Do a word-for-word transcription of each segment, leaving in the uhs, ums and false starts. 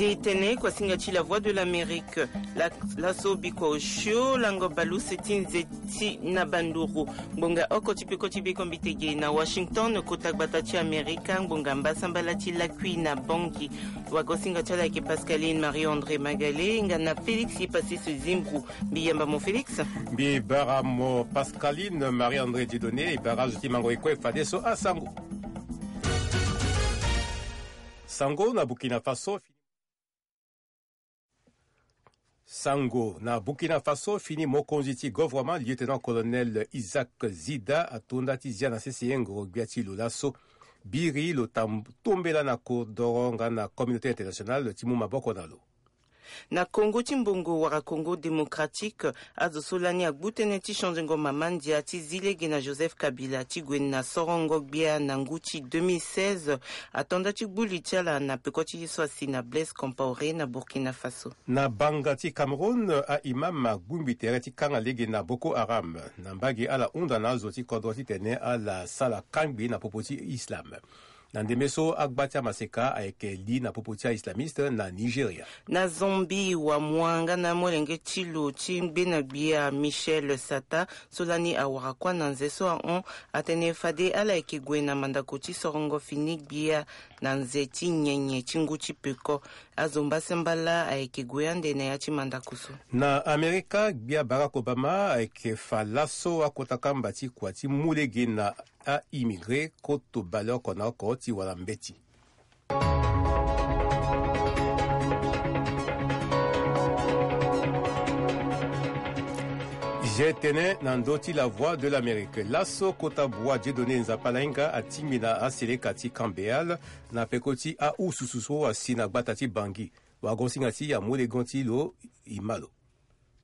E tene kuasinga ti La Voix de l'Amérique, la, laso bikua osio lango baleuse ti nze ti na banduru. Ngbonga oko ti peko ti bekombitege na Washington, kota gbata ti Amerika, ngbonga mbasambala ti lakui na Bangui. Wagosinga ti ala ayeke Pascaline Marie-André Magalé nga na Félix Ipassis Zimbru. Mbi yamba mo Félix. Mbi bara mo Pascaline Marie-André Dieudonné. E bara azo ti mango e kue fadeso asango. Sango na Burkina Faso. Sango na Burkina Faso, fini mokonzi ti gouvernement, lieutenant-colonel Isaac Zida, atonda ti zia na sese ngoro-gbia ti lo laso. Biri lo tam-, tombela na kodoro nga na communauté internationale ti mu maboko na lo. Na Congo ti mbongo wala Congo démocratique, azo so lani agbu tënë ti changengo mama ndia ti zi lege na Joseph Kabila ti gue na sorongo-gbia na ngu ti deux mille seize, atonda ti gbu li ti ala na peko ti ye so asi na Blaise Compaoré na Burkina Faso. Na banga ti Cameroun, a-imam agungbi tere ti kanga lege na Boko Haram. Na mbage ala hunda na azo ti kodro titene ala sara kangbi na popo ti Islam. Na ndembe so, agba ti amaseka ayeke li na popo ti a-islamiste na Nigeria. Na Zambie, wamua nga na amolenge ti lo ti gbenegbia Michel Sata, so lani awara kuâ na nze so ahon, atene fade ala yeke gue na mandako ti sorongo fini gbia na nze ti nyenye ti ngu ti peko. Azo mbasambala ayeke gue ande na ya ti mandako so. Na Amerika, gbia Barack Obama ayeke fa laso akota kamba ti kua ti mu lege na a-immigré koto baleoko na oko ti wara mbeti. Zia tënë na ndö ti La Voix de l'Amérique. Laso kota bua Dieudonné Nzapa Lainga atingbi na aseleka ti Camp Béal na peko ti ahususu so asi na gbata ti Bangui. Wagosinga ti amolegon ti lo, e ma lo.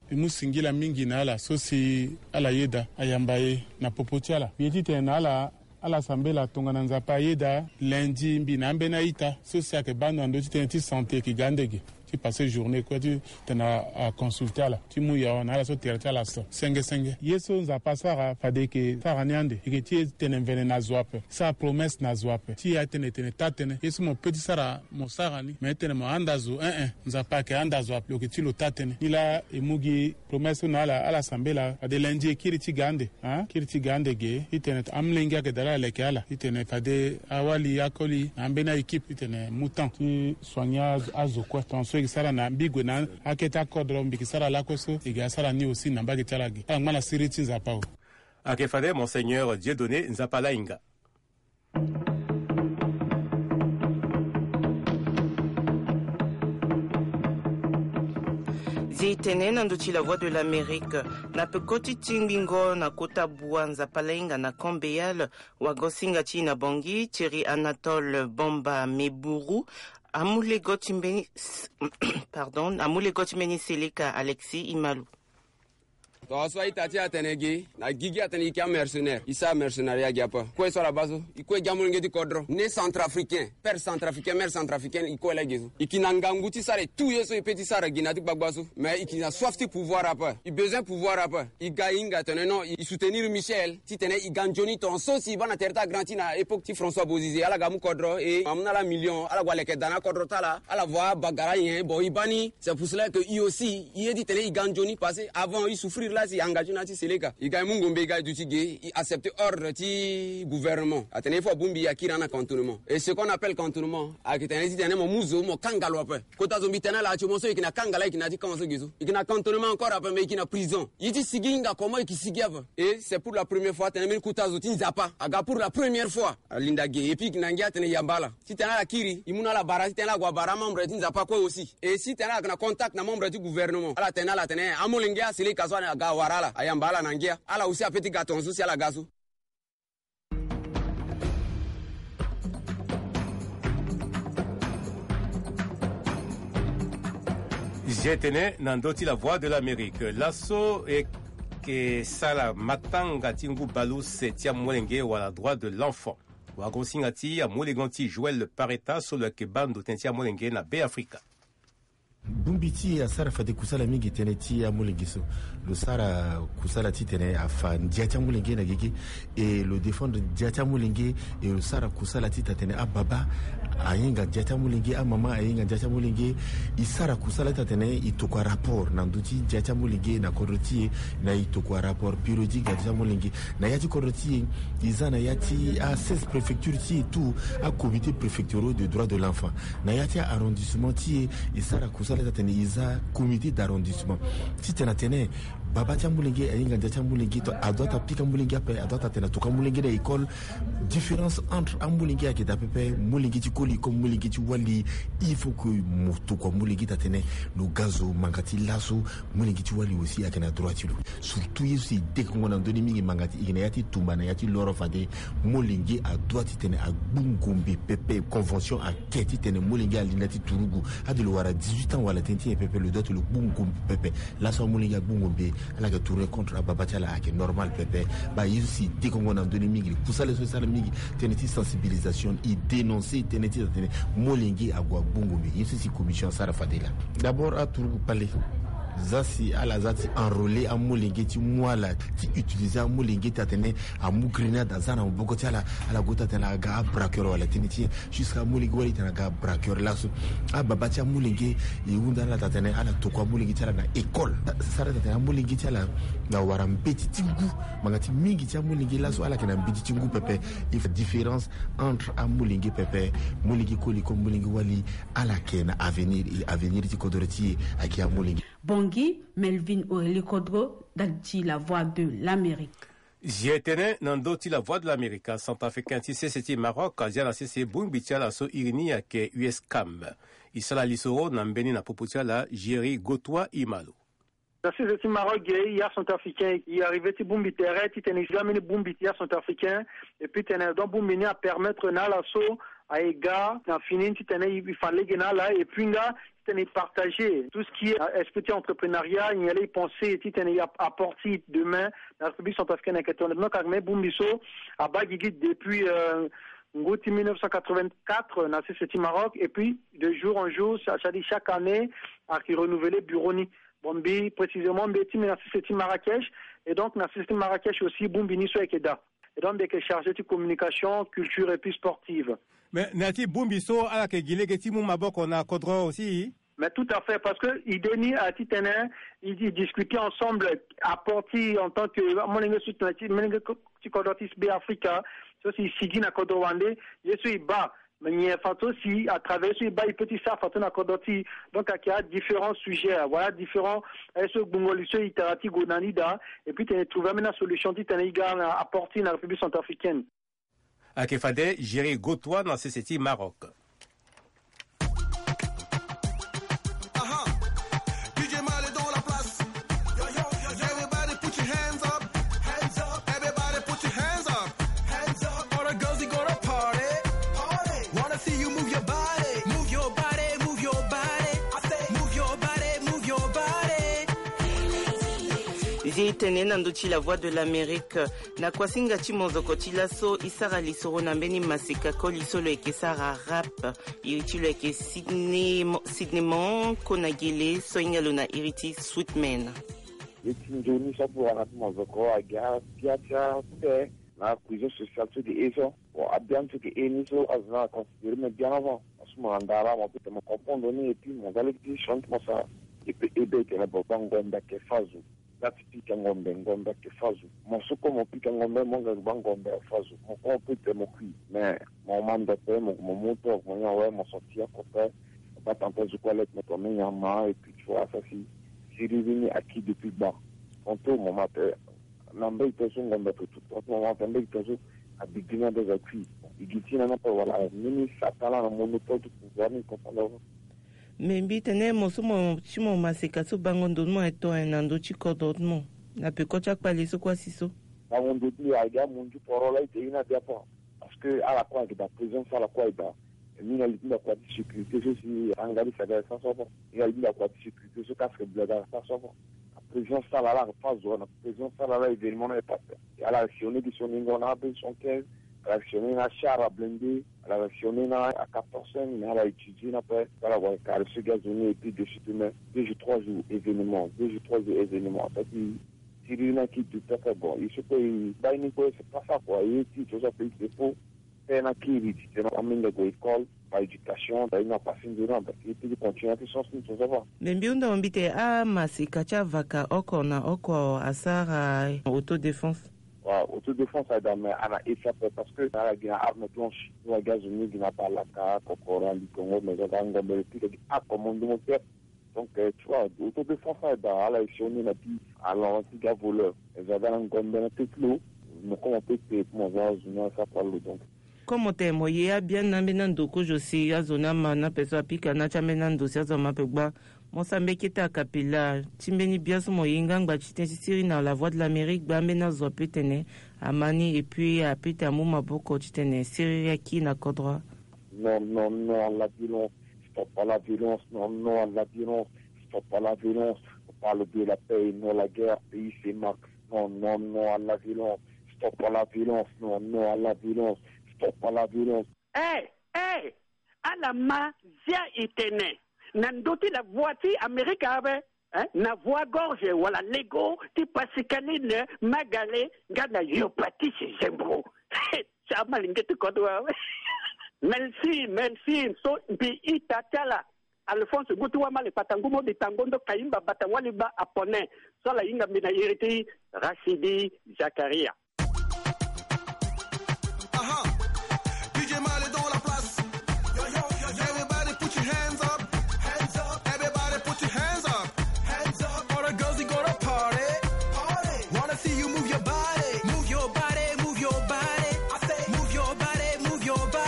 E mu singila mingi na ala so si ala yeda ayamba e na popo ti ala. Mbi ye titene na ala, ala sambela tongana Nzapa ayeda lundi mbi na ambeni a-ita so si ayeke baa ndo na ndö ti tënë ti santé e yeke ga ande ge ti passé journée kue titene a, aconsulté ala ti mu yawa na ala so tere ti ala so senge senge. Ye so Nzapa asara fade e yeke sara ni ande, e yeke ti e tene mvene na zo ape, sara promesse na zo ape ti e atene e tene taa-tënë. Ye so mo pe ti sara mo sara ni, me tene mo handa zo, eh eh, Nzapa ayeke handa zo ape, lo yeke ti lo taa-tënë. Nilaa e mu gi promesse so na ala, ala sambela fade lundi e kiri ti ga ande, ah, kiri ti ga ande ge, titene amolenge ayeke daa laa aleke ala, titene fade awali akoli na ambeni a-équipe titene mu temps ti soigner azo, azo kue. Tongaso e yeke sara na mbi gue na akete akodro mbi yeke sara lakue so, e yeke sara ni aussi na mbage ti ala ge. Ala ngba na siriri ti Nzapa o. Ayeke fade Monseigneur Dieudonné Nzapa Lainga. Zi tene na ndö ti La Voix de l'Amérique, na peko ti tingbingo na kota bua Nzapa Lainga na Camp Béal, wagosinga ti e na Bangui, Thierry Anatole Bamba Meburu, amolego ti mbeni, pardon, amolego ti mbeni seleka Alexis Imalu. Tongaso a-ita ti e atene ge na gigi atene e yeke amercenaire, e sara mercenariat ge ape. Kue so ala baa so, e kue gi amolenge ti kodro, né centrafricain, père centrafricain, mère centrafricaine, e kue laa ge so. E yeke na ngangu ti sara e tout ye so e pe ti sara gi na ya ti gbagba so. Mais e yeke na soif ti pouvoir ape, e besoin pouvoir ape. E ga e hinga atene non, e soutenir Michel titene e ga nzoni tongaso si e baa na tere ti agranti na époque ti François Bozizé, ala ga amu kodro e amu na ala million, ala gue aleke daa na akodro ti ala, ala voit abagara nyen. Bon, e baa ni. C'est pour cela que e aussi, e ye titene e ga nzoni, parce que avant e souffrir laa si e engagé na ya ti seleka. E ga e mu ngombe, e ga e duti ge, e accepté ordre ti gouvernement atene il faut abongbi e akiri na cantonnement. Et ce qu'on appelle cantonnement ayeke tene titene mo mu zo mo kanga lo ape. Kota zo mbi tene ala actuellement so e yeke na kanga laa, e yeke na ya ti camp so ge so. E yeke na cantonnement encore ape, mais e yeke na prison. E ye ti sigi e hinga comment e yeke sigi ape. Et c'est pour la première fois atene mbeni kota zo ti Nzapa aga pour la première fois. Alinda ge, et puis e yeke na ngia atene e yamba ala titene ala kiri, e mu na ala bara titene ala gue abara amembre ti Nzapa kue aussi. Et si tene ala yeke na contact na membre ti gouvernement, ala tene na ala atene amolenge aseleka so aga awara ala, ayamba ala na ngia. Ala aussi ape ti ga tongaso si ala ga so. Zi tene na ndö ti La Voix de l'Amérique. Laso e yeke sara matanga ti ngu baleuse ti amolenge wala droit de l'enfant. Wagosinga ti amolenge ti Joël Pareta so lo yeke baa ndo tënë ti amolenge na Beafrika. Bongbi ti e asara fade kusala mingi tënë ti amolenge so. Lo sara kusala titene afa ndia ti amolenge na gigi, e lo défendre ndia ti amolenge, e lo sara kusala ti tene ababa Ahinga ndia ti amolenge, amama ahinga ndia ti amolenge. E sara kusala ti atene e tokua rapport na ndö ti ndia ti amolenge na kodro ti e. Na e tokua rapport périodique na ndia ti amolenge na ya ti kodro ti e. E za na ya ti a seize préfecture ti e tout, a comité préfectoraux de droit de l'enfant. Na ya ti arrondissement ti e, e sara kusala ti atene e za comité d'arrondissement. Titene atene baba ti amolenge ahinga ndia ti amolenge, to adoit apika amolenge ape, adoit atene atokua amolenge na école. Différence entre amolenge ayeke daa pepe, molenge ti koli comme molenge ti wali. Il faut que mo tokua molenge ti atene lo ga zo manga ti laso. Molenge ti wali aussi ayeke na droit ti lo. Surtout ye so si e dekongo na ndö ni mingi manga ti e yeke na ya ti tumba na ya ti loro fade. Molenge adoit titene agbu ngombe pepe. Convention ake titene molenge alinda ti turugu. Ade lo wara dix-huit ans wala tënë ti nyen pepe, lo doit lo gbu ngombe pepe. Laso amolenge agbu ngombe, ala yeke tourner contre ababa ti ala, ayeke normal pepe. Baa ye so si e dekongo na ndö ni mingi, kusala so e sara mingi, tënë ti sensibilisation, e dénoncer tënë ti atene molenge ague agbu ngombe. Ye so si commission asara fade laa. D'abord aturugu kpale, za si ala za ti enrôler amolenge ti mu ala ti utiliser amolenge ti atene amu grenade aza na maboko ti ala, ala gue ti atene aga abraqueur wala tënë ti nyen. Jusqu'à amolenge wali titene aga braqueur laso. Ababa ti amolenge e hunda ala ti atene ala tokua amolenge ti ala na école. Sara ti atene amolenge ti ala na wara mbeti ti ngu. Manga ti mingi ti amolenge laso ala yeke na mbeti ti ngu pepe. Il faut différence entre amolenge pepe. Molenge koli comme molenge wali, ala yeke na avenir, e avenir ti kodro ti e ayeke amolenge. Bangui, Melvin Aurélie Kodro, ndali ti La Voix de l'Amérique. Zia tënë na ndö ti La Voix de l'Amérique, centrafricain ti sese ti Maroc azia na sese bongbi ti ala so iri ni ayeke U S CAM. E sara lisoro na mbeni na popo ti ala, Géry Gotois Imalo. Na sese ti Maroc ge, ya centrafricain e arrivé ti bongbi tere titene e si ga mbeni bongbi ti ya centrafricain. Et puis tene donc bongbi ni apermettre na ala so aye ga na fini titene e fa lege na ala. Et puis nga titene e partager tout ce qui est, euh, esprit ti entrepreneuriat, nyen laa e pensé titene e ap-, apporter demain na République centrafricaine ayeke tongana donc ayeke mbeni bongbi so abaa gigi depuis, euh, ngu ti mille neuf cent quatre-vingt-quatre na sese ti Maroc. Et puis de jour en jour, c'est-à-dire chaque année, ayeke renouveler bureau ni. Bon, mbi précisément mbi ye ti mbi na sese ti Marrakech. Et donc na sese ti Marrakech aussi bongbi ni so ayeke daa. Et donc mbi yeke chargé ti communication, culture et puis sportive. Mais na ya ti bongbi so ala yeke gi lege ti mu maboko na kodro aussi. Mais tout à fait, parce que idée ni aye titene e, e discuter ensemble, apporter en tant que molenge so ti na ti molenge ko-, ti kodro ti Be Afrika, so si e sigi na kodro wande, ye so e baa, mais nyen façon si à travers so e baa e peut ti sara façon na kodro ti e. Donc ayeke a différents sujets, voilà, différents, eh, so gbungo li so e tara ti gue na ni daa. Et puis tene e trouver ambeni asolution titene e ga na apporter na République centrafricaine. Ayeke fade Géry Gotois na sese ti Maroc. Aha. D J Male dans la place. Everybody put your hands up. Hands up. Everybody put your hands up. Hands up. All the girls, you gonna party. Party. Wanna see you move your body. Move your body, move your body. I say, move your body, move your body. Zi tene na ndö ti La Voix de l'Amérique. Na kuasinga ti mozoko ti laso, e sara lisoro na mbeni maseka koli so lo yeke sara rap. Iri ti lo yeke Sydney Mo-, Sydney Mon, kona gele, so hinga lo na iri ti Sweetman. Ye ti nzoni so apuara na ti mozoko agi apia ti ate na cohésion sociale so eke e so. Bon, abian so eke e ni so azo ni aconsidéré me bien avant. Parce que mo na ndara mo peut mo comprendre ni et puis mo za lege ti sioni ti mo sara. E peut aider tene bon, bangombe ayeke fâ zo. Nga ti pika ngombe, ngombe ayeke fâ zo. Mo so kue mo pika ngombe, mo nga bangombe ayeke fâ zo. Mo kue mo peut tene mo kui. Mais mo ma ndope, mo, mo mu to, mo nyon awe, mo sorti oko pe. Ba tanta zo kue aleke mo tene me nyama, et puis tu vois, ça si, si riri ni acquis depuis bas. Tonton, mo ma tene na mbage ti so ngombe ape tout, tonton, mo ma tene mbage ti so abigri ni abe aza kui. E gi ti na ni ape, voilà, mbeni satan laa na monopole ti pouvoir ni, comprendre. Me mbi tene mo so mo ti mo maseka so bango ndo ti mo aye tongayo na ndö ti kodro ti mo na peko ti akpale so kue asi so. Bango ndo ti mbi ayeke amunzu poro laa e te ye ni abi ape. Parce que ala kue ayeke daa présence, ala kue ayeke daa. Ni na li ti mbi akua ti sécurité so si angari saga ayeke sara so ape. Ni na li ti mbi akua ti sécurité so casque bleu ayeke sara so ape. Na présence ti ala laa ayeke fâ zo, na présence ti ala laa événement ni ayeke passe. Ala réactionné gi sioni ngo na A B soixante-quinze, ala réactionné na char à blindé, ala réactionné na A quatorze, mais ala étudié na pe, ala wara carré so gi azo ni, et puis de suite même, deux jours, trois jours, événement, deux jours, trois jours, événement. Ça ti, ti riri ni ayeke du pepe, bon, il faut que, baa ni kue, c'est pas ça, quoi. Ye ti, tout ça, pays, c'est faux. Tënë na kiri ti tene amolenge ague école, ba éducation, da ye na pasi nzoni na da ye ti continue ti science ni so ça va. Mbi hunda wa mbi tene amaseka ti avaka oko na oko asara autodéfense. Wa autodéfense aye daa mais ana esi ape parce que ala gi na arme blanche. Ni wa gi azo ni gi na balaka, kokora, ligongo, mais aza daa ngombe le pika gi akomo ndumo te. Donc euh, tu vois, autodéfense aye daa ala esi oni na bi ala wa ti ga voleur. Aza daa na ngombe na te ti lo. Mo komo pe te mo za azo ni asara pa lo donc. Komo tene mo ye abiani na ambeni ando kozo si azo ni ama na ape so apika na ti ambeni ando si azo ama ape gba. Mo sara mbeni kete akapela ti mbeni bia so mo ye ngbangba ti tënë ti siriri na la voix de l'Amérique gba ambeni azo ape tene ama ni et puis ape tene amu maboko ti tene siriri aki na kodro. Non non non à la violence. Stop à la violence. Non non à la violence. Stop à la violence. On parle de la paix et non la guerre. Pays c'est Max. Non non non à la violence. Stop à la violence. Non non à la violence. Stop à la violence. Eh eh. Ala ma zia e tene na ndö ti la voix ti Amerika ape. Eh, na voix gorge wala lego ti Pascaline Magale nga na Yopatis Zembro. Ti amalenge ti kodro awe. Merci merci so mbi ita ti ala. Alphonse ngu ti wamale kpata ngu mo di tango ndo kayimba bata wali ba apone. So ala hinga mbi na iri ti Rachidi Zakaria. Aha. D J Male dans la place. Everybody put your hands up. Hands up. Everybody put your hands up. Hands up. All the girls, you gonna party. Party. Wanna see you move your body. Move your body, move your body. I say, move your body, move your body.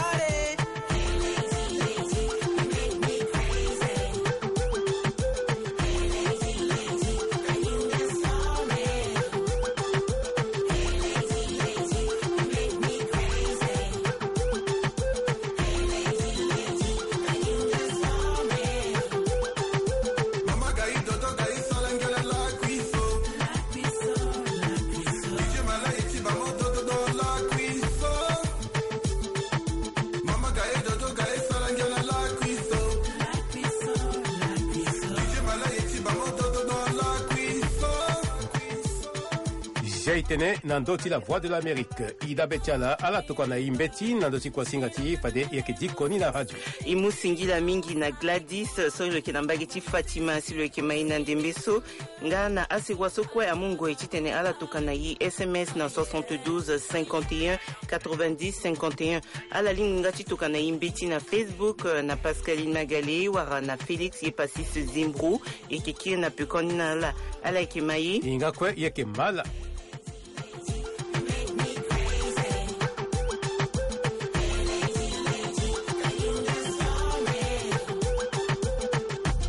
Zia e tene na ndö ti la Voix de l'Amérique. E dabe ti ala ala tokua na e mbeti na ndö ti kuasinga ti e fade e yeke diko ni na radio. E mu singila mingi na Gladys so lo yeke na mbage ti Fatima si lo yeke ma e na ndembe so. Nga na asewa so kue amu ngoi titene ala toka na e S M S na soixante-douze cinquante et un quatre-vingt-dix cinquante et un. Ala lingbi nga ti toka na e mbeti na Facebook, eh, na Pascaline Magale wala na Félix Yepasis Zimbro. E yeke kiri na pekoni na ala. Ala yeke ma e. E nga kue e yeke ma ala.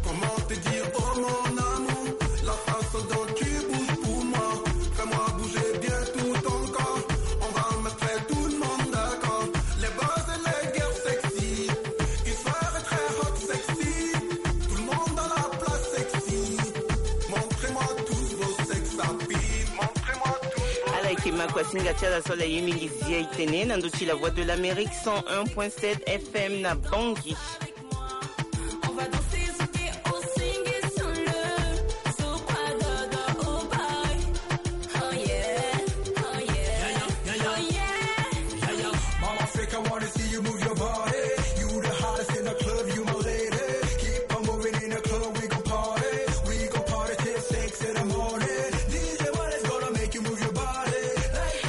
Comment te dire, oh mon amour, la façon dont tu bouges pour moi, fais-moi bouger bien tout ton corps. On va mettre tout le monde d'accord. Les bas et les girls sexy, ils soient très hot sexy. Tout le monde dans la place sexy. Montrez-moi tous vos sex appeal. Montrez-moi tous vos... Ala yeke ma kuasinga ti ala so ala ye mingi zia e tene na ndö ti la Voix de l'Amérique cent un point sept F M na Bangui. On va danser, zouker, on sing et sur le, sur quoi dodo, oh boy. Oh yeah, oh yeah, oh yeah. Mama Africa wanna see you move your body. You the hottest in the club, you my lady. Keep on moving in the club, we gon' party. We gon' party till six in the morning. D J Male is gonna make you move your body.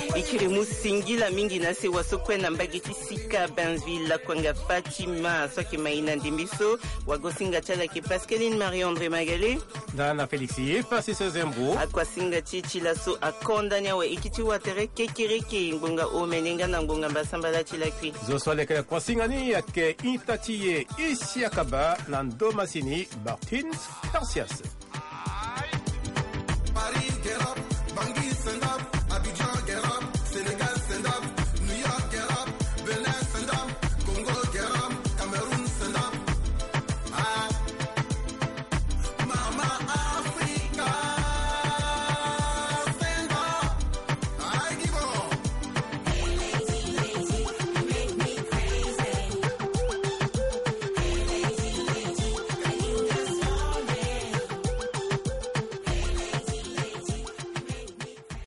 Like the way... E kiri mu singila mingi na sewa so kue na mbage ti Sika Bainville, Lakwanga Fatima, so ayeke ma e na ndembe so. Wagosinga ti ala ayeke Pascaline Marie-André Magale. Nga na Félix Yepasis Zimbro. Akuasinga ti e ti laso akonda ni awe. E kiti wa tere kekereke ngbonga omene nga na ngbonga mbasambala ti lakui. Zo so aleke na kuasinga ni ayeke ita ti e Isiaka Ba na ndo masini Martin Spercias. Paris